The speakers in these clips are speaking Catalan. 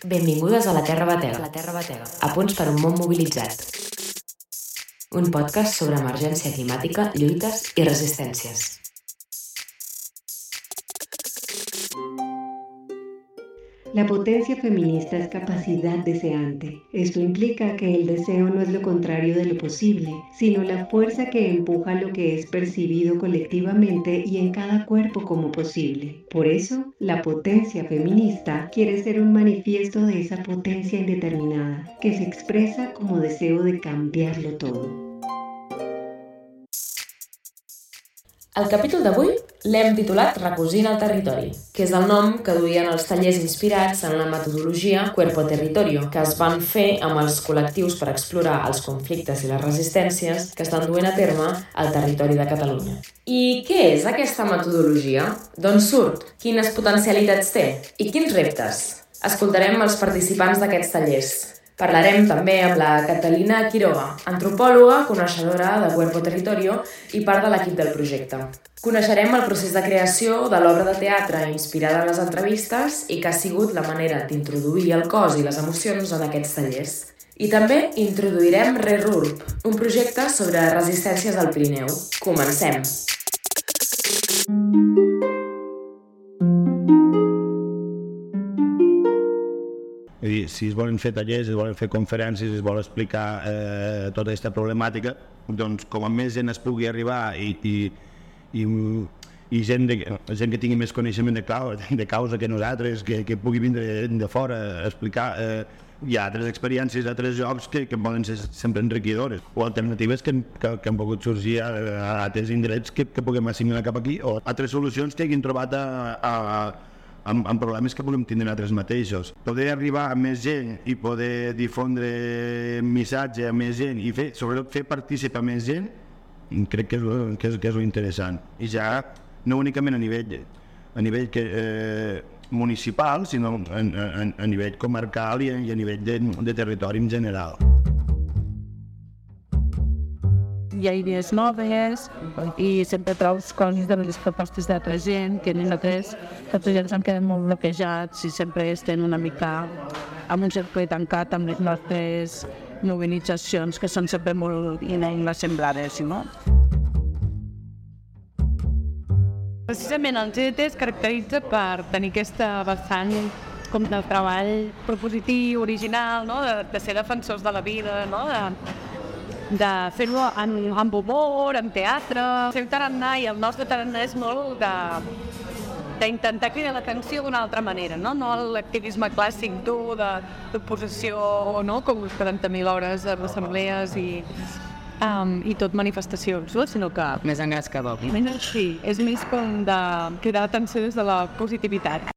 Benvingudes a La Terra Batega, a punts per un món mobilitzat. Un podcast sobre emergència climàtica, lluites i resistències. La potencia feminista es capacidad deseante. Esto implica que el deseo no es lo contrario de lo posible, sino la fuerza que empuja lo que es percibido colectivamente y en cada cuerpo como posible. Por eso, la potencia feminista quiere ser un manifiesto de esa potencia indeterminada, que se expresa como deseo de cambiarlo todo. El capítol d'avui l'hem titulat Recosint el territori, que és el nom que duien els tallers inspirats en la metodologia Cuerpo Territorio, que es van fer amb els col·lectius per explorar els conflictes i les resistències que estan duent a terme al territori de Catalunya. I què és aquesta metodologia? D'on surt? Quines potencialitats té? I quins reptes? Escoltarem els participants d'aquests tallers. Parlarem també amb la Catalina Quiroga, antropòloga, coneixedora de Cuerpo Territorio i part de l'equip del projecte. Coneixerem el procés de creació de l'obra de teatre inspirada en les entrevistes i que ha sigut la manera d'introduir el cos i les emocions en aquests tallers. I també introduirem RERURB, un projecte sobre resistències al Pirineu. Comencem! Si es volen fer tallers, es volen fer conferències, es vol explicar tota aquesta problemàtica, doncs com a més gent es pugui arribar i gent que tingui més coneixement de causa que nosaltres, que pugui vindre de fora a explicar, hi ha altres experiències, altres jocs que poden ser sempre enriquidores o alternatives que han pogut sorgir a altres indrets que puguem assimilar cap aquí o altres solucions que hagin trobat amb problemes que volem tindre nosaltres mateixos. Poder arribar a més gent i poder difondre missatge a més gent i sobretot fer participar més gent, crec que és interessant. I ja no únicament a nivell municipal, sinó a nivell comarcal i a nivell de territori en general. Hi ha idees noves i sempre trobes coses de les propostes d'altra gent que nosaltres s'han quedat molt bloquejats i sempre estem una mica amb un cercle tancat amb les nostres mobilitzacions que són sempre molt inassemblades, no? Precisament el GT es caracteritza per tenir aquesta vessant com de treball propositiu, original, no? de ser defensors de la vida, no? de fer-ho amb humor, amb teatre. El seu tarannà i el nostre tarannà és molt d'intentar cridar l'atenció d'una altra manera, no l'activisme clàssic dur d'oposició, no? Com 40.000 hores d'assemblees i tot manifestacions, no? Sinó que... Més engascador. Sí, és més com de cridar l'atenció des de la positivitat.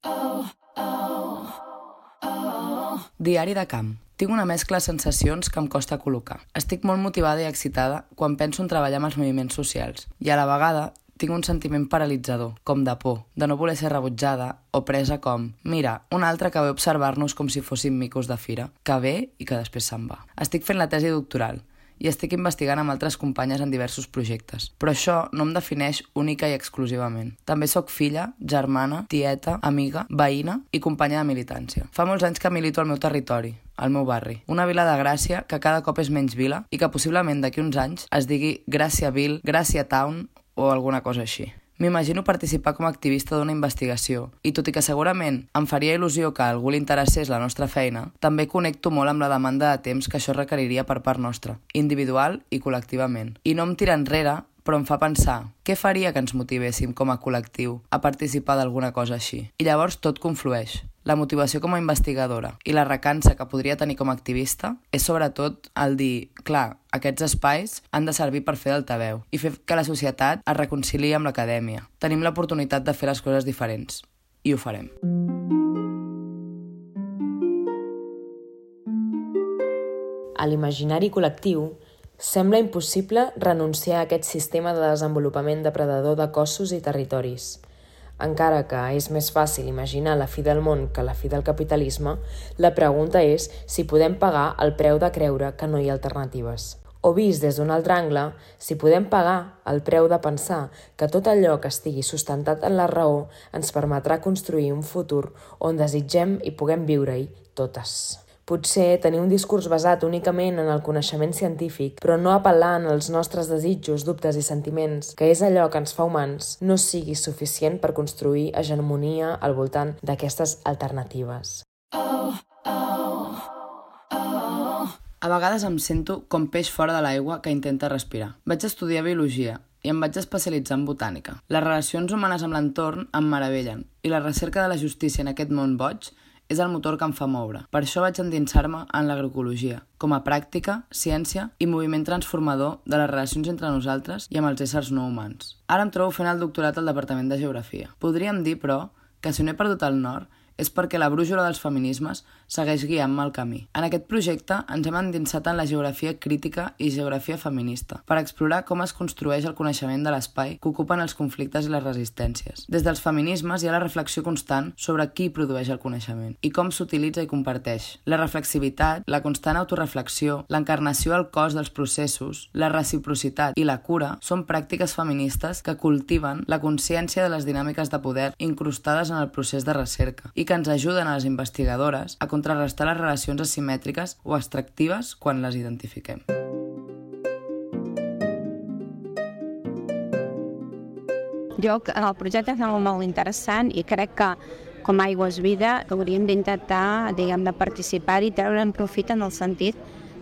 Diari de camp. Tinc una mescla de sensacions que em costa col·locar. Estic molt motivada i excitada quan penso en treballar amb els moviments socials i a la vegada tinc un sentiment paralitzador, com de por, de no voler ser rebutjada o presa com mira, un altre que ve a observar-nos com si fóssim micos de fira, que ve i que després se'n va. Estic fent la tesi doctoral i estic investigant amb altres companyes en diversos projectes. Però això no em defineix única i exclusivament. També sóc filla, germana, tieta, amiga, veïna i companya de militància. Fa molts anys que milito al meu territori, al meu barri. Una vila de Gràcia que cada cop és menys vila i que possiblement d'aquí uns anys es digui Gràcia-Ville, Gràcia-Town o alguna cosa així. M'imagino participar com a activista d'una investigació i tot i que segurament em faria il·lusió que a algú li interessés la nostra feina, també connecto molt amb la demanda de temps que això requeriria per part nostra, individual i col·lectivament. I no em tira enrere, però em fa pensar què faria que ens motivéssim com a col·lectiu a participar d'alguna cosa així. I llavors tot conflueix. La motivació com a investigadora i la recança que podria tenir com a activista és sobretot el dir, clar, aquests espais han de servir per fer d'altaveu i fer que la societat es reconciliï amb l'acadèmia. Tenim l'oportunitat de fer les coses diferents i ho farem. A l'imaginari col·lectiu sembla impossible renunciar a aquest sistema de desenvolupament depredador de cossos i territoris. Encara que és més fàcil imaginar la fi del món que la fi del capitalisme, la pregunta és si podem pagar el preu de creure que no hi ha alternatives. O vist des d'un altre angle, si podem pagar el preu de pensar que tot allò que estigui sustentat en la raó ens permetrà construir un futur on desitgem i puguem viure-hi totes. Potser tenir un discurs basat únicament en el coneixement científic, però no apel·lant als nostres desitjos, dubtes i sentiments, que és allò que ens fa humans, no sigui suficient per construir hegemonia al voltant d'aquestes alternatives. A vegades em sento com peix fora de l'aigua que intenta respirar. Vaig estudiar biologia i em vaig especialitzar en botànica. Les relacions humanes amb l'entorn em meravellen i la recerca de la justícia en aquest món boig és el motor que em fa moure. Per això vaig endinsar-me en l'agroecologia, com a pràctica, ciència i moviment transformador de les relacions entre nosaltres i amb els éssers no humans. Ara em trobo fent el doctorat al Departament de Geografia. Podríem dir, però, que si no he perdut el nord és perquè la brúixola dels feminismes segueix guiant-me el camí. En aquest projecte ens hem endinsat en la geografia crítica i geografia feminista per explorar com es construeix el coneixement de l'espai que ocupen els conflictes i les resistències. Des dels feminismes hi ha la reflexió constant sobre qui produeix el coneixement i com s'utilitza i comparteix. La reflexivitat, la constant autoreflexió, l'encarnació al cos dels processos, la reciprocitat i la cura són pràctiques feministes que cultiven la consciència de les dinàmiques de poder incrustades en el procés de recerca i que ens ajuden a les investigadores a contrarrestar les relacions asimètriques o extractives quan les identifiquem. Jo, el projecte és molt interessant i crec que com a Aigua és Vida hauríem d'intentar, de participar-hi i treure'n profit en el sentit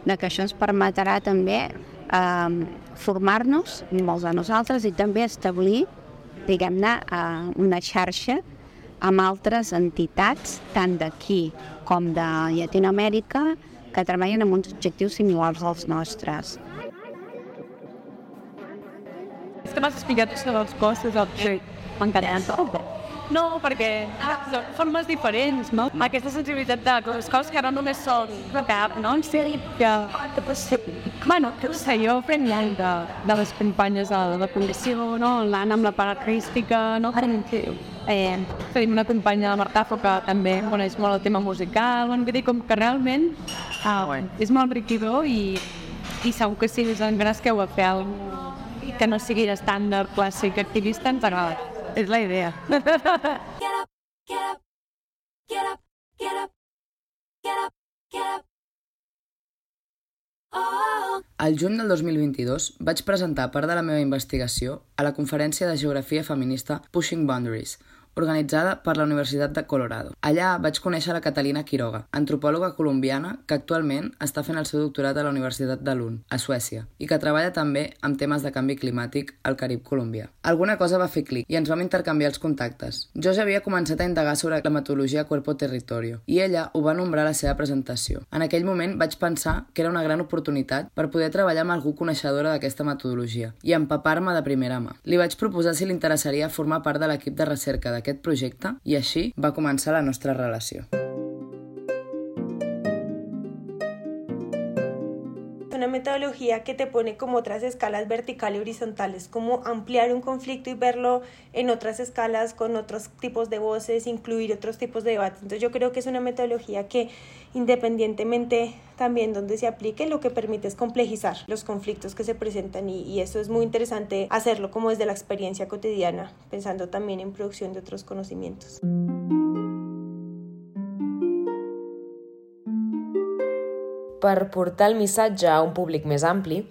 de que això ens permetrà també formar-nos, molts de nosaltres, i també establir, una xarxa amb altres entitats, tant d'aquí com de Llatinoamèrica, que treballen amb uns objectius similars als nostres. És que m'has explicat sobre els costos del projecte. M'encanta. No, perquè són formes diferents, no? Aquesta sensibilitat de les coses que no només són cap, no? En sèrie, que... Bueno, no sé, jo aprenc molt de les companyes de la condició, no? L'Anna amb la part artística, no? Tenim una companya, la Martafo, que també coneix molt el tema musical, vull dir, com que realment és molt enriquidor i segur que si us engresqueu a fer alguna cosa que no sigui d'estàndard clàssic activista, ens agrada. És la idea. Al juny del 2022 vaig presentar part de la meva investigació a la conferència de geografia feminista Pushing Boundaries, organitzada per la Universitat de Colorado. Allà vaig conèixer la Catalina Quiroga, antropòloga colombiana que actualment està fent el seu doctorat a la Universitat de Lund, a Suècia, i que treballa també amb temes de canvi climàtic al Carib colombià. Alguna cosa va fer clic i ens vam intercanviar els contactes. Jo ja havia començat a indagar sobre la metodologia cuerpo-territorio i ella ho va nombrar a la seva presentació. En aquell moment vaig pensar que era una gran oportunitat per poder treballar amb algú coneixedora d'aquesta metodologia i empapar-me de primera mà. Li vaig proposar si li interessaria formar part de l'equip de recerca d'aquest projecte i així va començar la nostra relació. Una metodología que te pone como otras escalas verticales y horizontales, como ampliar un conflicto y verlo en otras escalas con otros tipos de voces, incluir otros tipos de debates. Entonces yo creo que es una metodología que independientemente también donde se aplique, lo que permite es complejizar los conflictos que se presentan y eso es muy interesante hacerlo como desde la experiencia cotidiana, pensando también en producción de otros conocimientos. Per portar el missatge a un públic més ampli,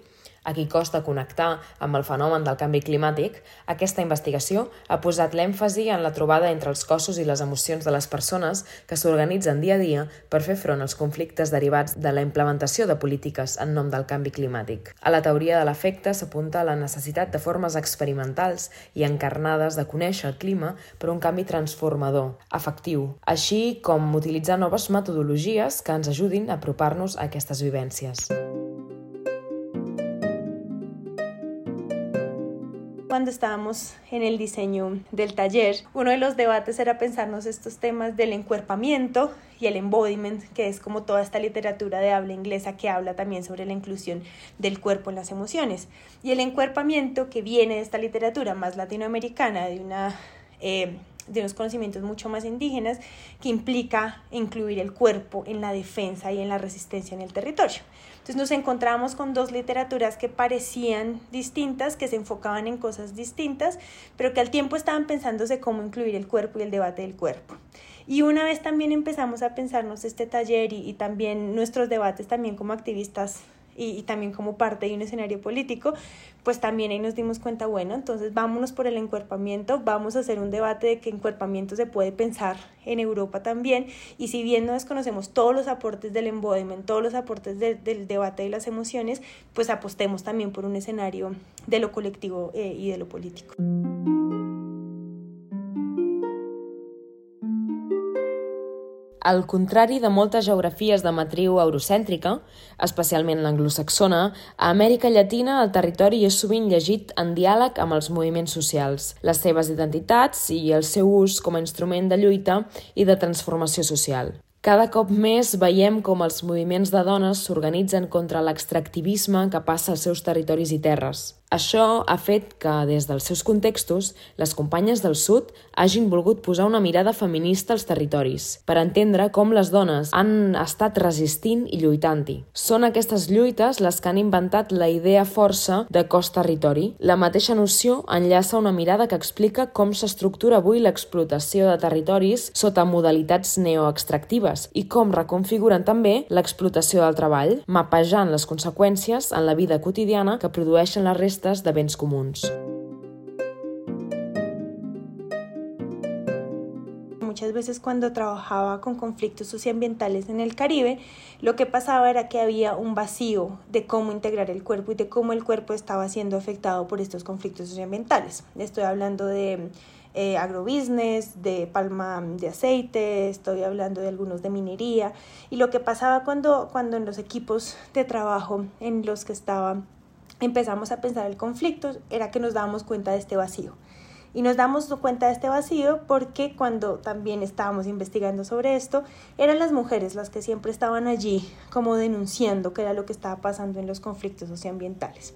a qui costa connectar amb el fenomen del canvi climàtic, aquesta investigació ha posat l'èmfasi en la trobada entre els cossos i les emocions de les persones que s'organitzen dia a dia per fer front als conflictes derivats de la implementació de polítiques en nom del canvi climàtic. A la teoria de l'efecte s'apunta la necessitat de formes experimentals i encarnades de conèixer el clima per un canvi transformador, efectiu, així com utilitzar noves metodologies que ens ajudin a apropar-nos a aquestes vivències. Cuando estábamos en el diseño del taller, uno de los debates era pensarnos estos temas del encuerpamiento y el embodiment, que es como toda esta literatura de habla inglesa que habla también sobre la inclusión del cuerpo en las emociones. Y el encuerpamiento, que viene de esta literatura más latinoamericana, de una unos conocimientos mucho más indígenas, que implica incluir el cuerpo en la defensa y en la resistencia en el territorio. Entonces nos encontramos con dos literaturas que parecían distintas, que se enfocaban en cosas distintas, pero que al tiempo estaban pensándose cómo incluir el cuerpo y el debate del cuerpo. Y una vez también empezamos a pensarnos este taller y también nuestros debates también como activistas y también como parte de un escenario político, pues también ahí nos dimos cuenta, bueno, entonces vámonos por el encuerpamiento, vamos a hacer un debate de que encuerpamiento se puede pensar en Europa también, y si bien no desconocemos todos los aportes del embodiment, todos los aportes del debate de las emociones, pues apostemos también por un escenario de lo colectivo y de lo político. Al contrari de moltes geografies de matriu eurocèntrica, especialment l'anglosaxona, a Amèrica Llatina el territori és sovint llegit en diàleg amb els moviments socials, les seves identitats i el seu ús com a instrument de lluita i de transformació social. Cada cop més veiem com els moviments de dones s'organitzen contra l'extractivisme que passa als seus territoris i terres. Això ha fet que, des dels seus contextos, les companyes del Sud hagin volgut posar una mirada feminista als territoris, per entendre com les dones han estat resistint i lluitant-hi. Són aquestes lluites les que han inventat la idea força de cos-territori. La mateixa noció enllaça una mirada que explica com s'estructura avui l'explotació de territoris sota modalitats neoextractives i com reconfiguren també l'explotació del treball, mapejant les conseqüències en la vida quotidiana que produeixen les restes de béns comuns. Muchas veces cuando trabajaba con conflictos socioambientales en el Caribe, lo que pasaba era que había un vacío de cómo integrar el cuerpo y de cómo el cuerpo estaba siendo afectado por estos conflictos socioambientales. Estoy hablando de agrobusiness, de palma de aceite, estoy hablando de algunos de minería, y lo que pasaba cuando en los equipos de trabajo en los que empezamos a pensar el conflicto era que nos dábamos cuenta de este vacío. Y nos damos cuenta de este vacío porque cuando también estábamos investigando sobre esto, eran las mujeres las que siempre estaban allí como denunciando qué era lo que estaba pasando en los conflictos socioambientales.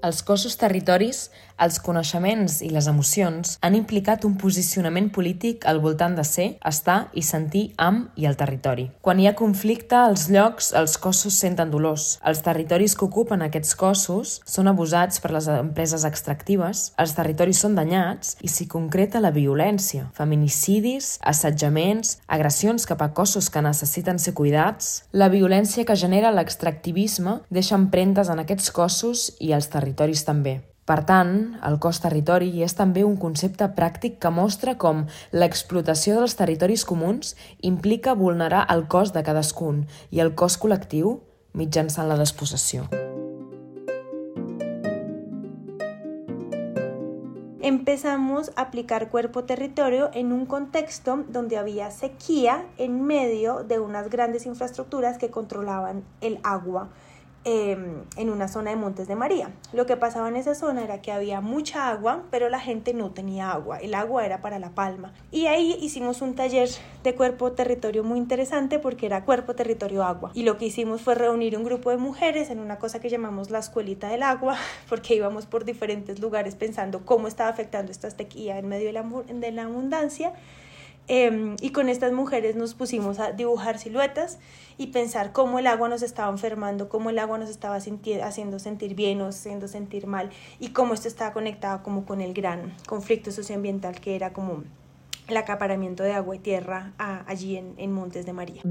Els cossos territoris, els coneixements i les emocions han implicat un posicionament polític al voltant de ser, estar i sentir amb i al territori. Quan hi ha conflicte, als llocs, els cossos senten dolors. Els territoris que ocupen aquests cossos són abusats per les empreses extractives, els territoris són danyats i s'hi concreta la violència, feminicidis, assetjaments, agressions cap a cossos que necessiten ser cuidats. La violència que genera l'extractivisme deixa empremtes en aquests cossos i als territoris també. Per tant, el cos-territori és també un concepte pràctic que mostra com l'explotació dels territoris comuns implica vulnerar el cos de cadascun i el cos col·lectiu mitjançant la despossessió. Empezamos a aplicar cuerpo-territorio en un contexto donde había sequía en medio de unas grandes infraestructuras que controlaban el agua en una zona de Montes de María. Lo que pasaba en esa zona era que había mucha agua, pero la gente no tenía agua. El agua era para la palma. Y ahí hicimos un taller de cuerpo-territorio muy interesante porque era cuerpo-territorio-agua. Y lo que hicimos fue reunir un grupo de mujeres en una cosa que llamamos la escuelita del agua, porque íbamos por diferentes lugares pensando cómo estaba afectando esta sequía en medio de la abundancia. Y con estas mujeres nos pusimos a dibujar siluetas y pensar cómo el agua nos estaba enfermando, cómo el agua nos estaba haciendo sentir bien o haciendo sentir mal, y cómo esto estaba conectado como con el gran conflicto socioambiental que era como el acaparamiento de agua y tierra allí en Montes de María.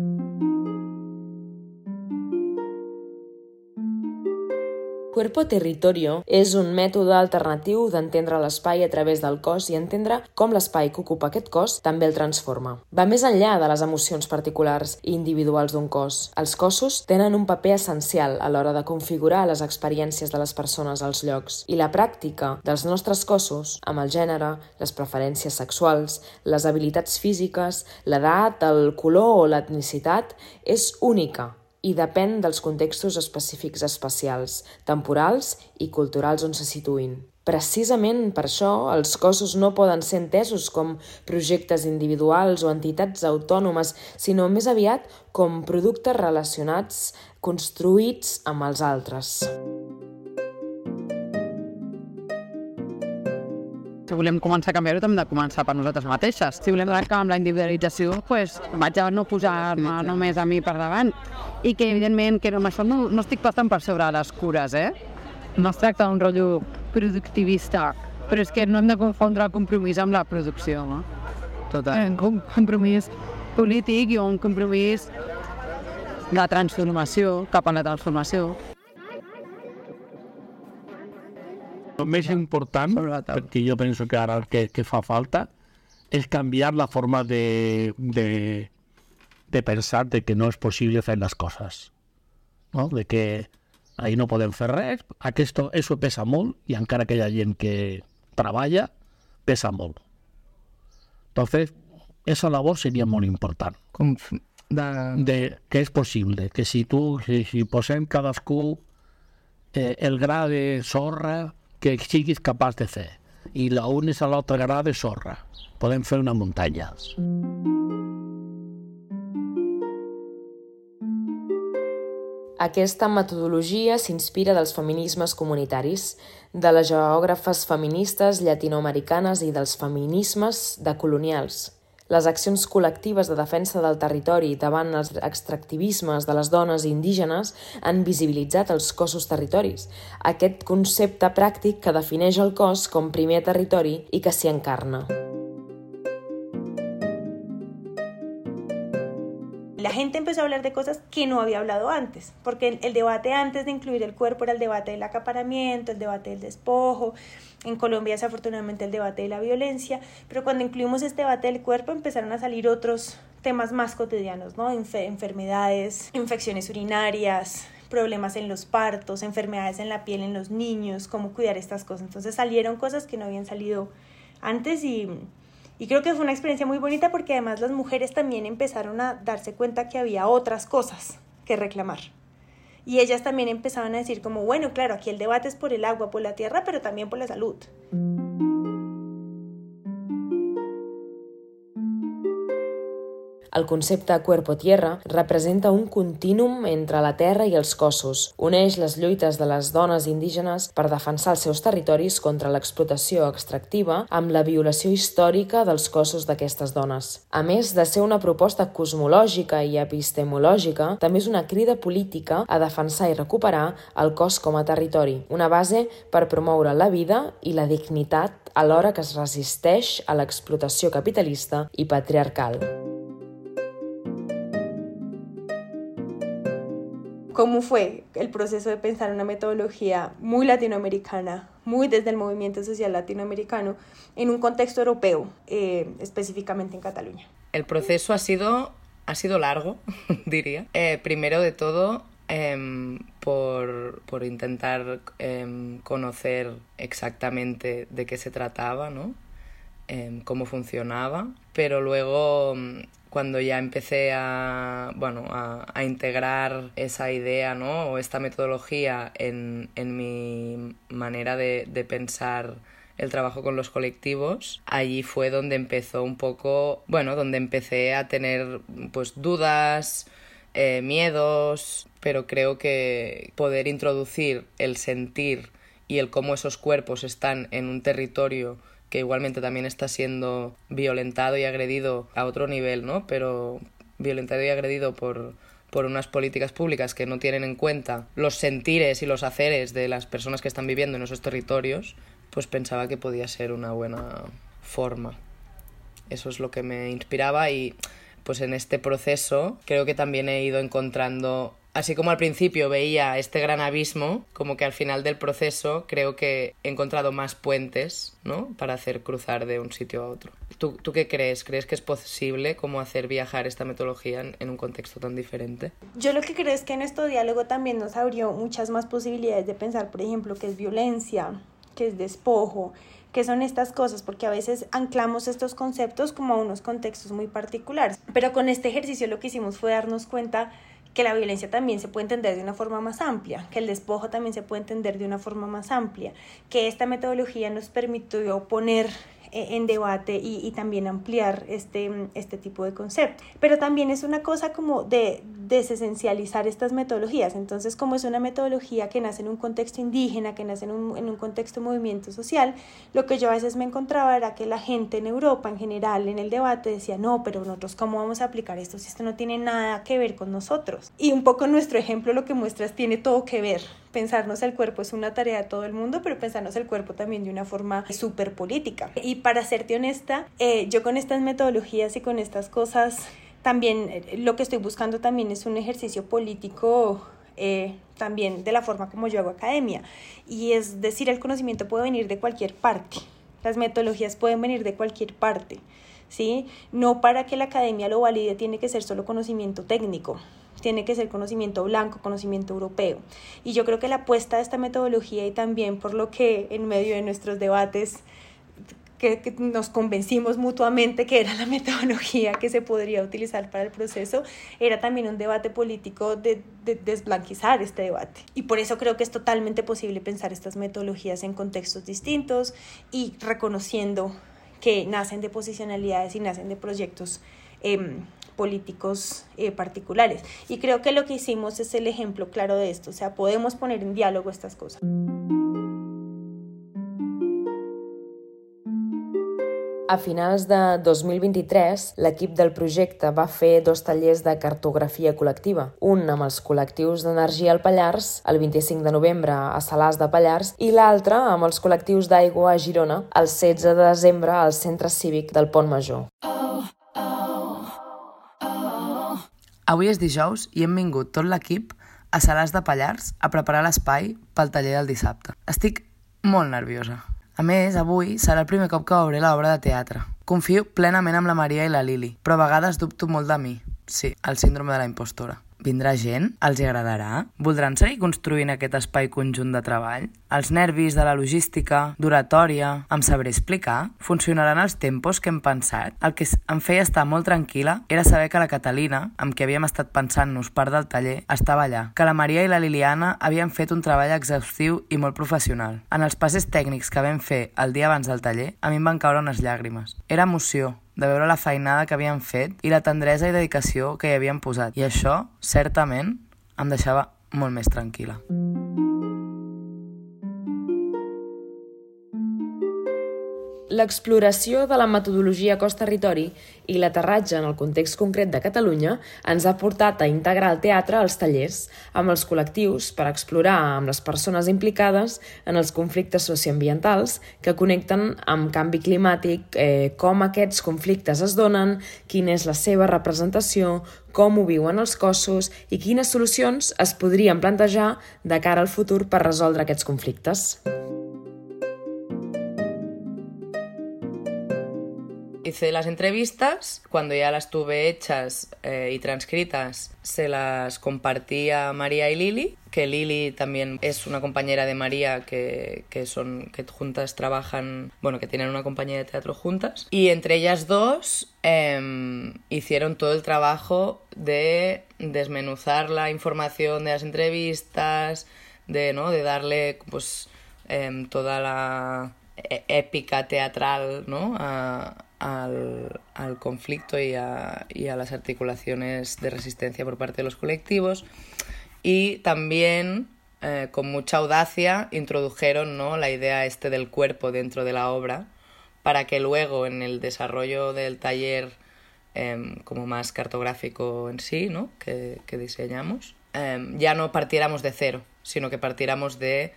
Cuerpo-territorio és un mètode alternatiu d'entendre l'espai a través del cos i entendre com l'espai que ocupa aquest cos també el transforma. Va més enllà de les emocions particulars i individuals d'un cos. Els cossos tenen un paper essencial a l'hora de configurar les experiències de les persones als llocs, i la pràctica dels nostres cossos, amb el gènere, les preferències sexuals, les habilitats físiques, l'edat, el color o l'etnicitat, és única i depèn dels contextos específics espacials, temporals i culturals on se situïn. Precisament per això, els cossos no poden ser entesos com projectes individuals o entitats autònomes, sinó més aviat com productes relacionats, construïts amb els altres. Si volem començar a canviar-ho, hem de començar per nosaltres mateixes. Si volem trencar amb la individualització, doncs vaig a no posar-me només a mi per davant. I que, evidentment, que amb això no estic passant per sobre les cures, No es tracta d'un rotllo productivista, però és que no hem de confondre el compromís amb la producció, no? Un compromís polític i un compromís de transformació, cap a la transformació. El més important, perquè jo penso que ara el que fa falta, és canviar la forma de pensar de que no és possible fer les coses. No? De que ahí no podem fer res, eso pesa molt, i encara que hi ha gent que treballa, pesa molt. Entonces, esa labor seria molt important. Que és possible, que si posem cadascú el gra de sorra que siguis capaç de fer, i l'unis a l'altre gra de sorra, podem fer una muntanya. Aquesta metodologia s'inspira dels feminismes comunitaris, de les geògrafes feministes llatinoamericanes i dels feminismes decolonials. Les accions col·lectives de defensa del territori davant els extractivismes de les dones indígenes han visibilitzat els cossos territoris, aquest concepte pràctic que defineix el cos com primer territori i que s'hi encarna. La gente empezó a hablar de cosas que no había hablado antes, porque el debate antes de incluir el cuerpo era el debate del acaparamiento, el debate del despojo, en Colombia desafortunadamente el debate de la violencia, pero cuando incluimos este debate del cuerpo empezaron a salir otros temas más cotidianos, ¿no? Enfermedades, infecciones urinarias, problemas en los partos, enfermedades en la piel en los niños, cómo cuidar estas cosas. Entonces salieron cosas que no habían salido antes y creo que fue una experiencia muy bonita porque además las mujeres también empezaron a darse cuenta que había otras cosas que reclamar. Y ellas también empezaban a decir como, bueno, claro, aquí el debate es por el agua, por la tierra, pero también por la salud. El concepte cuerpo-tierra representa un contínum entre la terra i els cossos. Uneix les lluites de les dones indígenes per defensar els seus territoris contra l'explotació extractiva amb la violació històrica dels cossos d'aquestes dones. A més de ser una proposta cosmològica i epistemològica, també és una crida política a defensar i recuperar el cos com a territori, una base per promoure la vida i la dignitat alhora que es resisteix a l'explotació capitalista i patriarcal. ¿Cómo fue el proceso de pensar una metodología muy latinoamericana, muy desde el movimiento social latinoamericano, en un contexto europeo, específicamente en Cataluña? El proceso ha sido largo, diría. Primero de todo, por intentar conocer exactamente de qué se trataba, ¿no? Cómo funcionaba, pero luego cuando ya empecé a integrar esa idea, ¿no? O esta metodología en mi manera de pensar el trabajo con los colectivos, allí fue donde empezó un poco, donde empecé a tener pues dudas, miedos, pero creo que poder introducir el sentir y el cómo esos cuerpos están en un territorio que igualmente también está siendo violentado y agredido a otro nivel, ¿no? Pero violentado y agredido por unas políticas públicas que no tienen en cuenta los sentires y los haceres de las personas que están viviendo en esos territorios, pues pensaba que podía ser una buena forma. Eso es lo que me inspiraba y pues en este proceso creo que también he ido encontrando, así como al principio veía este gran abismo, como que al final del proceso creo que he encontrado más puentes, ¿no? Para hacer cruzar de un sitio a otro. ¿Tú qué crees? ¿Crees que es posible como hacer viajar esta metodología en un contexto tan diferente? Yo lo que creo es que en este diálogo también nos abrió muchas más posibilidades de pensar, por ejemplo, qué es violencia, qué es despojo, qué son estas cosas, porque a veces anclamos estos conceptos como a unos contextos muy particulares. Pero con este ejercicio lo que hicimos fue darnos cuenta que la violencia también se puede entender de una forma más amplia, que el despojo también se puede entender de una forma más amplia, que esta metodología nos permitió poner en debate y también ampliar este tipo de conceptos. Pero también es una cosa como de desesencializar estas metodologías. Entonces, como es una metodología que nace en un contexto indígena, que nace en un contexto de movimiento social, lo que yo a veces me encontraba era que la gente en Europa en general en el debate decía, no, pero nosotros ¿cómo vamos a aplicar esto si esto no tiene nada que ver con nosotros? Y un poco nuestro ejemplo lo que muestras tiene todo que ver. Pensarnos el cuerpo es una tarea de todo el mundo, pero pensarnos el cuerpo también de una forma súper política. Y para serte honesta, yo con estas metodologías y con estas cosas, también lo que estoy buscando también es un ejercicio político también de la forma como yo hago academia. Y es decir, el conocimiento puede venir de cualquier parte. Las metodologías pueden venir de cualquier parte, ¿sí? No para que la academia lo valide tiene que ser solo conocimiento técnico. Tiene que ser conocimiento blanco, conocimiento europeo. Y yo creo que la apuesta de esta metodología y también por lo que en medio de nuestros debates que nos convencimos mutuamente que era la metodología que se podría utilizar para el proceso, era también un debate político de desblanquizar este debate. Y por eso creo que es totalmente posible pensar estas metodologías en contextos distintos y reconociendo que nacen de posicionalidades y nacen de proyectos políticos particulares. Y creo que lo que hicimos es el ejemplo claro de esto, o sea, podemos poner en diálogo estas cosas. A finals de 2023, l'equip del projecte va fer 2 tallers de cartografia col·lectiva, un amb els col·lectius d'energia al Pallars, el 25 de novembre a Salàs de Pallars, i l'altre amb els col·lectius d'aigua a Girona, el 16 de desembre al Centre Cívic del Pont Major. Avui és dijous i hem vingut tot l'equip a Salàs de Pallars a preparar l'espai pel taller del dissabte. Estic molt nerviosa. A més, avui serà el primer cop que veuré l'obra de teatre. Confio plenament en la Maria i la Lili, però a vegades dubto molt de mi. Sí, el síndrome de la impostora. Vindrà gent? Els hi agradarà? Voldran seguir construint aquest espai conjunt de treball? Els nervis de la logística, d'oratòria, em sabré explicar? Funcionaran els tempos que hem pensat? El que em feia estar molt tranquil·la era saber que la Catalina, amb qui havíem estat pensant-nos part del taller, estava allà, que la Maria i la Liliana havien fet un treball exhaustiu i molt professional. En els passes tècnics que vam fer el dia abans del taller, a mi em van caure unes llàgrimes. Era emoció de veure la feinada que havien fet i la tendresa i dedicació que hi havien posat. I això, certament, em deixava molt més tranquil·la. L'exploració de la metodologia cos-territori i l'aterratge en el context concret de Catalunya ens ha portat a integrar el teatre als tallers amb els col·lectius per explorar amb les persones implicades en els conflictes socioambientals que connecten amb canvi climàtic, com aquests conflictes es donen, quina és la seva representació, com ho viuen els cossos i quines solucions es podrien plantejar de cara al futur per resoldre aquests conflictes. Hice las entrevistas, cuando ya las tuve hechas y transcritas, se las compartí a María y Lili, que Lili también es una compañera de María que juntas trabajan, que tienen una compañía de teatro juntas, y entre ellas dos hicieron todo el trabajo de desmenuzar la información de las entrevistas, de darle toda la épica teatral, ¿no? al conflicto y a las articulaciones de resistencia por parte de los colectivos, y también con mucha audacia introdujeron, ¿no?, la idea del cuerpo dentro de la obra para que luego en el desarrollo del taller como más cartográfico en sí, ¿no?, que diseñamos, ya no partiéramos de cero, sino que partiéramos de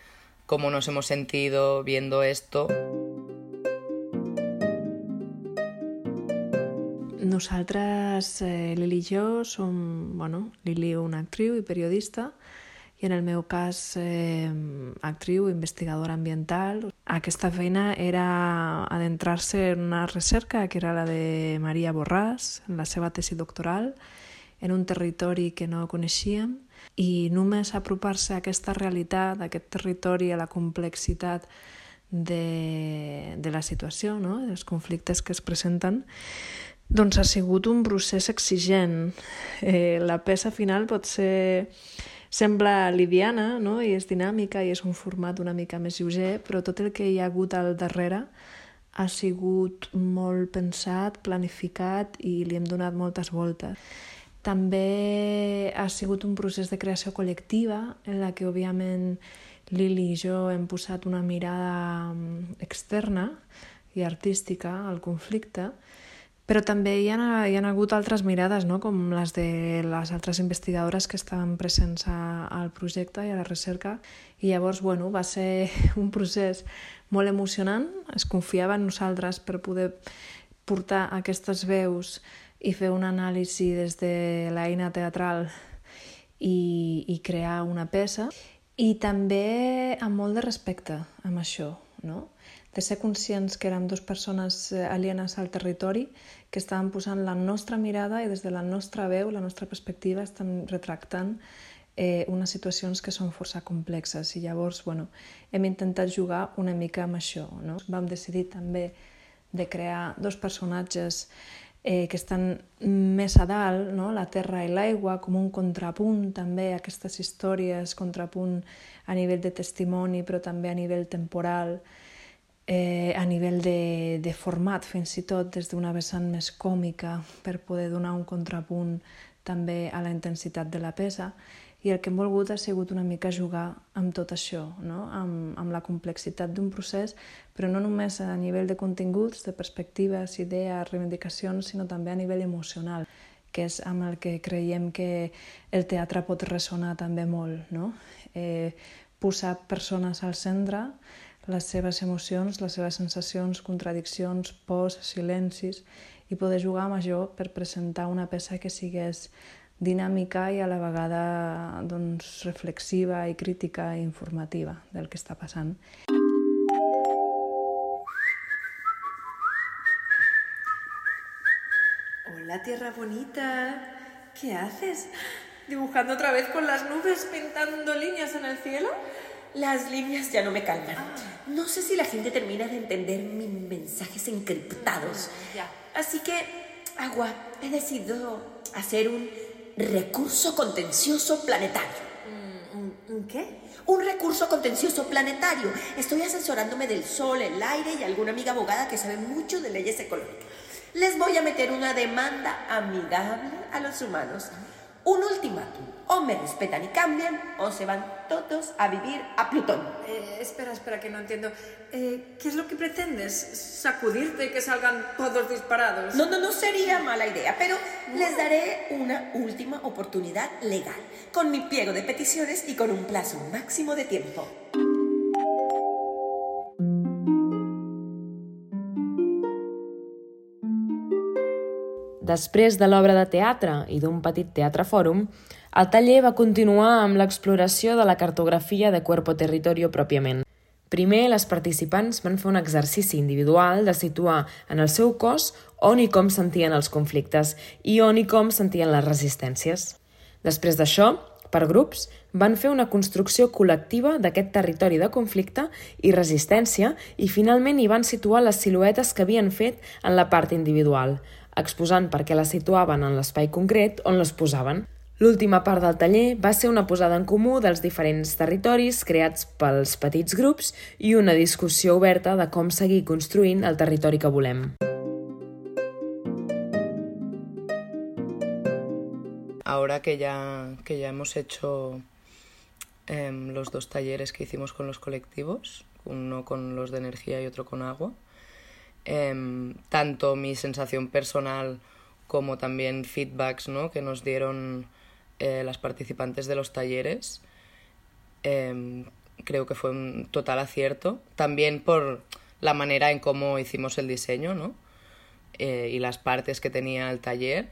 cómo nos hemos sentido viendo esto. Nosaltres, Lili i jo, som, Lili una actriu i periodista, i en el meu cas actriu, investigadora ambiental. Aquesta feina era adentrar-se en una recerca que era la de Maria Borràs, en la seva tesi doctoral, en un territori que no coneixíem, i només apropar-se a aquesta realitat, a aquest territori, a la complexitat de la situació, no?, dels conflictes que es presenten, doncs ha sigut un procés exigent. La peça final sembla liviana, i és dinàmica i és un format una mica més lleuger, però tot el que hi ha hagut al darrere ha sigut molt pensat, planificat i li hem donat moltes voltes. També ha sigut un procés de creació col·lectiva en la que, òbviament, Lili i jo hem posat una mirada externa i artística al conflicte, però també hi ha hagut altres mirades, no? Com les de les altres investigadores que estaven presents al projecte i a la recerca. I llavors, va ser un procés molt emocionant. Es confiava en nosaltres per poder portar aquestes veus i fer una anàlisi des de l'eina teatral i crear una peça. I també amb molt de respecte amb això, no? De ser conscients que érem dues persones alienes al territori que estaven posant la nostra mirada i des de la nostra veu, la nostra perspectiva, estan retractant unes situacions que són força complexes. I llavors, hem intentat jugar una mica amb això, no? Vam decidir també de crear dos personatges que estan més a dalt, no? La terra i l'aigua, com un contrapunt també a aquestes històries, contrapunt a nivell de testimoni, però també a nivell temporal, a nivell de format, fins i tot des d'una vessant més còmica, per poder donar un contrapunt també a la intensitat de la peça. I el que hem volgut ha sigut una mica jugar amb tot això, no? Amb la complexitat d'un procés, però no només a nivell de continguts, de perspectives, idees, reivindicacions, sinó també a nivell emocional, que és amb el que creiem que el teatre pot ressonar també molt, no? Posar persones al centre, les seves emocions, les seves sensacions, contradiccions, pors, silencis, i poder jugar amb això per presentar una peça que sigués dinàmica i a la vegada reflexiva i crítica i informativa del que està passant. Hola, tierra bonita. ¿Qué haces? ¿Dibujando otra vez con las nubes, pintando líneas en el cielo? Las líneas ya no me calman. No sé si la gente termina de entender mis mensajes encriptados. Ya. Así que, Agua, he decidido hacer un recurso contencioso planetario. ¿Un qué? Un recurso contencioso planetario. Estoy asesorándome del sol, el aire y alguna amiga abogada que sabe mucho de leyes ecológicas. Les voy a meter una demanda amigable a los humanos. Un ultimátum. O me respetan y cambian, o se van todos a vivir a Plutón. Espera, que no entiendo. ¿Qué es lo que pretendes? ¿Sacudirte y que salgan todos disparados? No sería mala idea, pero les daré una última oportunidad legal, con mi pliego de peticiones y con un plazo máximo de tiempo. Després de l'obra de teatre i d'un petit teatre fòrum, el taller va continuar amb l'exploració de la cartografia de Cuerpo Territorio pròpiament. Primer, les participants van fer un exercici individual de situar en el seu cos on i com sentien els conflictes i on i com sentien les resistències. Després d'això, per grups, van fer una construcció col·lectiva d'aquest territori de conflicte i resistència i finalment hi van situar les siluetes que havien fet en la part individual, exposant per què les situaven en l'espai concret on les posaven. L'última part del taller va ser una posada en comú dels diferents territoris creats pels petits grups i una discussió oberta de com seguir construint el territori que volem. Ahora que ya hemos hecho los dos talleres que hicimos con los colectivos, uno con los de energía y otro con agua, tanto mi sensación personal como también feedbacks, ¿no?, que nos dieron las participantes de los talleres, creo que fue un total acierto, también por la manera en cómo hicimos el diseño, ¿no?, y las partes que tenía el taller,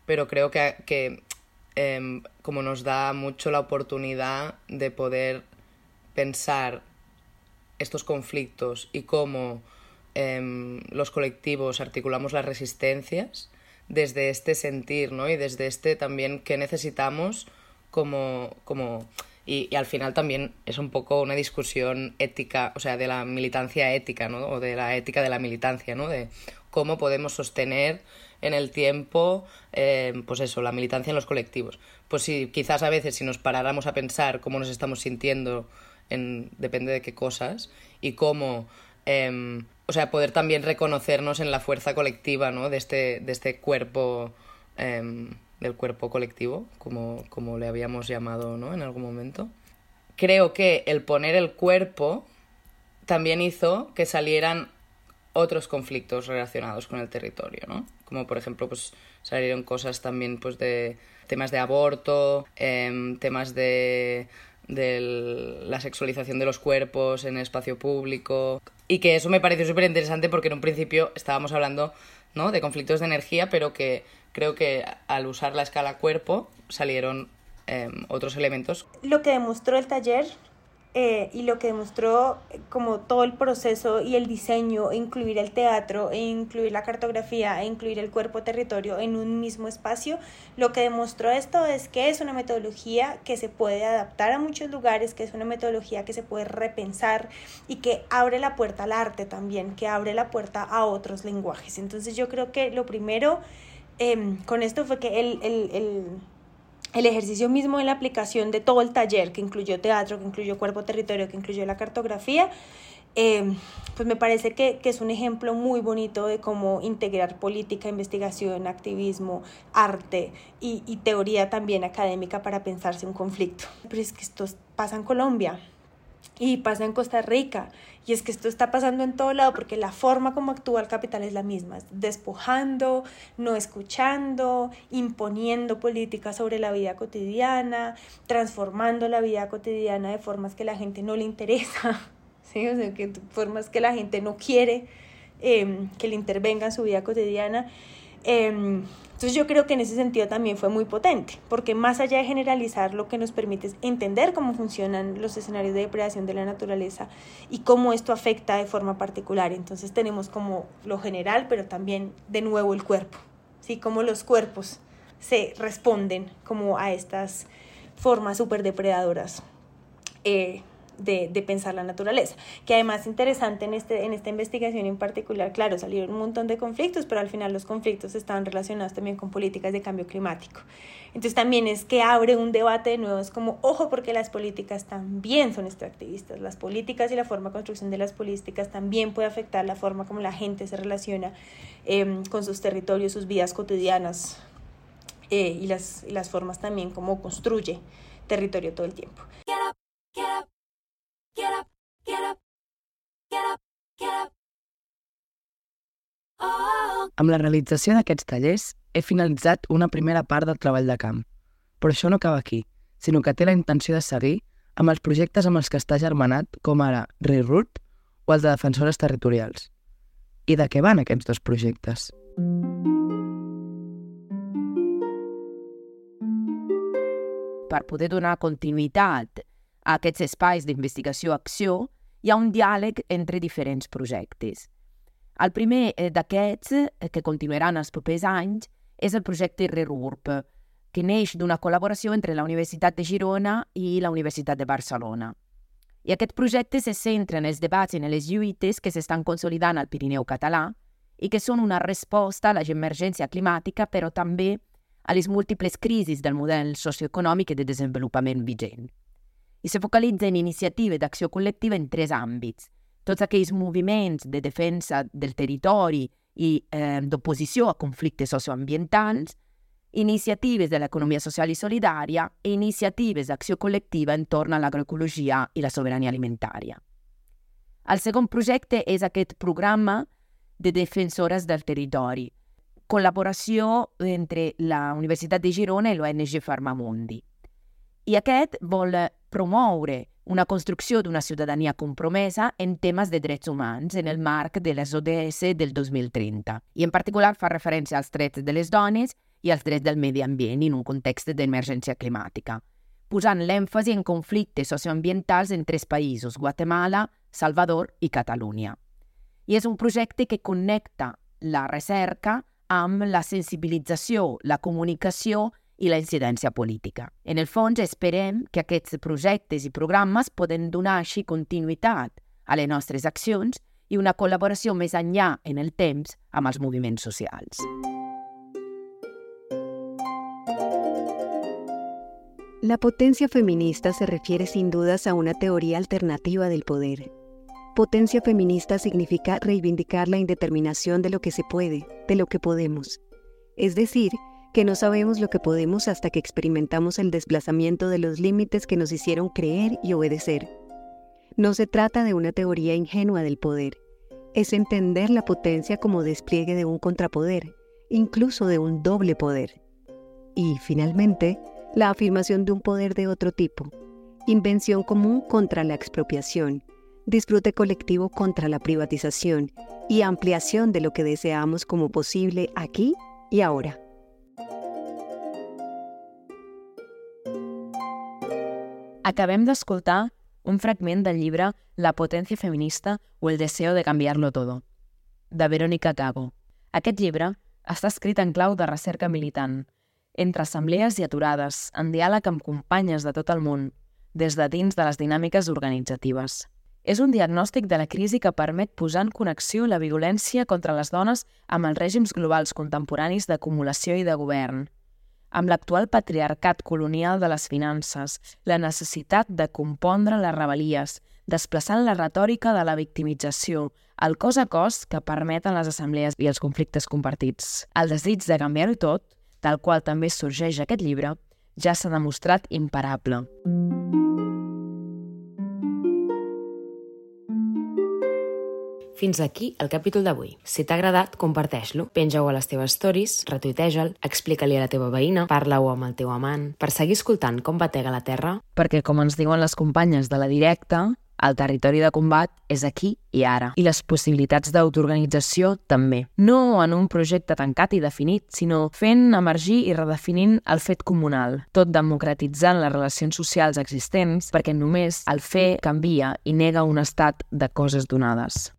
pero creo que como nos da mucho la oportunidad de poder pensar estos conflictos y cómo los colectivos articulamos las resistencias desde este sentir, ¿no?, y desde este también que necesitamos y al final también es un poco una discusión ética, o sea, de la militancia ética, ¿no?, o de la ética de la militancia, ¿no?, de cómo podemos sostener en el tiempo, pues eso, la militancia en los colectivos. Pues sí, quizás a veces si nos paráramos a pensar cómo nos estamos sintiendo depende de qué cosas y cómo poder también reconocernos en la fuerza colectiva, ¿no? de este cuerpo, del cuerpo colectivo, como le habíamos llamado, ¿no? En algún momento. Creo que el poner el cuerpo también hizo que salieran otros conflictos relacionados con el territorio, ¿no? Como por ejemplo, pues salieron cosas también pues de temas de aborto, temas de la sexualización de los cuerpos en el espacio público, y que eso me pareció súper interesante porque en un principio estábamos hablando, ¿no? de conflictos de energía, pero que creo que al usar la escala cuerpo salieron otros elementos. Lo que demostró el taller y lo que demostró como todo el proceso y el diseño, e incluir el teatro, e incluir la cartografía, e incluir el cuerpo territorio en un mismo espacio, lo que demostró esto es que es una metodología que se puede adaptar a muchos lugares, que es una metodología que se puede repensar y que abre la puerta al arte también, que abre la puerta a otros lenguajes. Entonces yo creo que lo primero con esto fue que el ejercicio mismo de la aplicación de todo el taller, que incluyó teatro, que incluyó cuerpo territorio, que incluyó la cartografía, pues me parece que es un ejemplo muy bonito de cómo integrar política, investigación, activismo, arte y teoría también académica para pensarse un conflicto. Pero es que esto pasa en Colombia y pasa en Costa Rica, y es que esto está pasando en todo lado porque la forma como actúa el capital es la misma, despojando, no escuchando, imponiendo políticas sobre la vida cotidiana, transformando la vida cotidiana de formas que la gente no le interesa, ¿sí? O sea, que formas que la gente no quiere que le intervenga en su vida cotidiana. Entonces yo creo que en ese sentido también fue muy potente, porque más allá de generalizar, lo que nos permite es entender cómo funcionan los escenarios de depredación de la naturaleza y cómo esto afecta de forma particular. Entonces tenemos como lo general, pero también de nuevo el cuerpo, ¿sí? Cómo los cuerpos se responden como a estas formas súper depredadoras de pensar la naturaleza, que además es interesante en esta investigación en particular. Claro, salieron un montón de conflictos, pero al final los conflictos estaban relacionados también con políticas de cambio climático. Entonces también es que abre un debate de nuevo, es como, ojo, porque las políticas también son extractivistas, las políticas y la forma de construcción de las políticas también puede afectar la forma como la gente se relaciona con sus territorios, sus vidas cotidianas y las formas también como construye territorio todo el tiempo. Amb la realització d'aquests tallers he finalitzat una primera part del treball de camp, però això no acaba aquí, sinó que té la intenció de seguir amb els projectes amb els que està germanat, com ara Reroute o els de defensores territorials. I de què van aquests dos projectes? Per poder donar continuïtat a aquests espais d'investigació-acció, hi ha un diàleg entre diferents projectes. El primer d'aquests, que continuaran els propers anys, és el projecte Reroute, que neix d'una col·laboració entre la Universitat de Girona i la Universitat de Barcelona. I aquest projecte se centra en els debats i en les lluites que s'estan consolidant al Pirineu català i que són una resposta a l'emergència climàtica, però també a les múltiples crisis del model socioeconòmic i de desenvolupament vigent. I se focalitza en iniciatives d'acció col·lectiva en 3 àmbits: tots aquells moviments de defensa del territori i d'oposició a conflictes socioambientals, iniciatives de l'economia social i solidària i iniciatives d'acció col·lectiva entorn a l'agroecologia i la sobirania alimentària. El segon projecte és aquest programa de defensores del territori, col·laboració entre la Universitat de Girona i l'ONG Farmamundi. I aquest vol promoure una construcció d'una ciutadania compromesa en temes de drets humans en el marc de les ODS del 2030. I en particular fa referència als drets de les dones i als drets del medi ambient en un context d'emergència climàtica, posant l'èmfasi en conflictes socioambientals en 3 països, Guatemala, Salvador i Catalunya. I és un projecte que connecta la recerca amb la sensibilització, la comunicació i la incidència política. En el fons, esperem que aquests projectes i programes poden donar així continuïtat a les nostres accions i una col·laboració més enllà en el temps amb els moviments socials. La potencia feminista se refiere sin dudas a una teoría alternativa del poder. Potencia feminista significa reivindicar la indeterminación de lo que se puede, de lo que podemos. Es decir, que no sabemos lo que podemos hasta que experimentamos el desplazamiento de los límites que nos hicieron creer y obedecer. No se trata de una teoría ingenua del poder. Es entender la potencia como despliegue de un contrapoder, incluso de un doble poder. Y, finalmente, la afirmación de un poder de otro tipo. Invención común contra la expropiación, disfrute colectivo contra la privatización y ampliación de lo que deseamos como posible aquí y ahora. Acabem d'escoltar un fragment del llibre La potencia feminista o el deseo de cambiarlo todo, de Verónica Gago. Aquest llibre està escrit en clau de recerca militant, entre assemblees i aturades, en diàleg amb companyes de tot el món, des de dins de les dinàmiques organitzatives. És un diagnòstic de la crisi que permet posar en connexió la violència contra les dones amb els règims globals contemporanis d'acumulació i de govern, amb l'actual patriarcat colonial de les finances, la necessitat de compondre les rebel·lies, desplaçant la retòrica de la victimització, el cos a cos que permeten les assemblees i els conflictes compartits. El desig de canviar-ho tot, del qual també sorgeix aquest llibre, ja s'ha demostrat imparable. Fins aquí el capítol d'avui. Si t'ha agradat, comparteix-lo. Penja-ho a les teves stories, retuiteja'l, explica-li a la teva veïna, parla-ho amb el teu amant, per seguir escoltant com batega la terra. Perquè, com ens diuen les companyes de la directa, el territori de combat és aquí i ara. I les possibilitats d'autoorganització també. No en un projecte tancat i definit, sinó fent emergir i redefinint el fet comunal, tot democratitzant les relacions socials existents, perquè només el fer canvia i nega un estat de coses donades.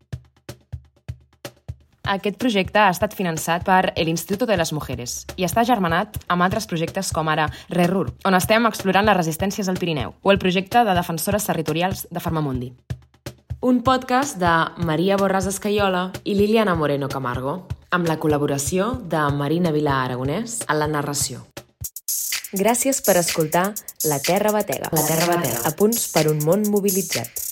Aquest projecte ha estat finançat per l'Instituto de les Mujeres i està germanat amb altres projectes com ara RERUR, on estem explorant les resistències al Pirineu, o el projecte de defensores territorials de Farmamundi. Un podcast de Maria Borràs Escaiola i Liliana Moreno Camargo, amb la col·laboració de Marina Vilà Aragonès en la narració. Gràcies per escoltar La Terra Batega. A punts per un món mobilitzat.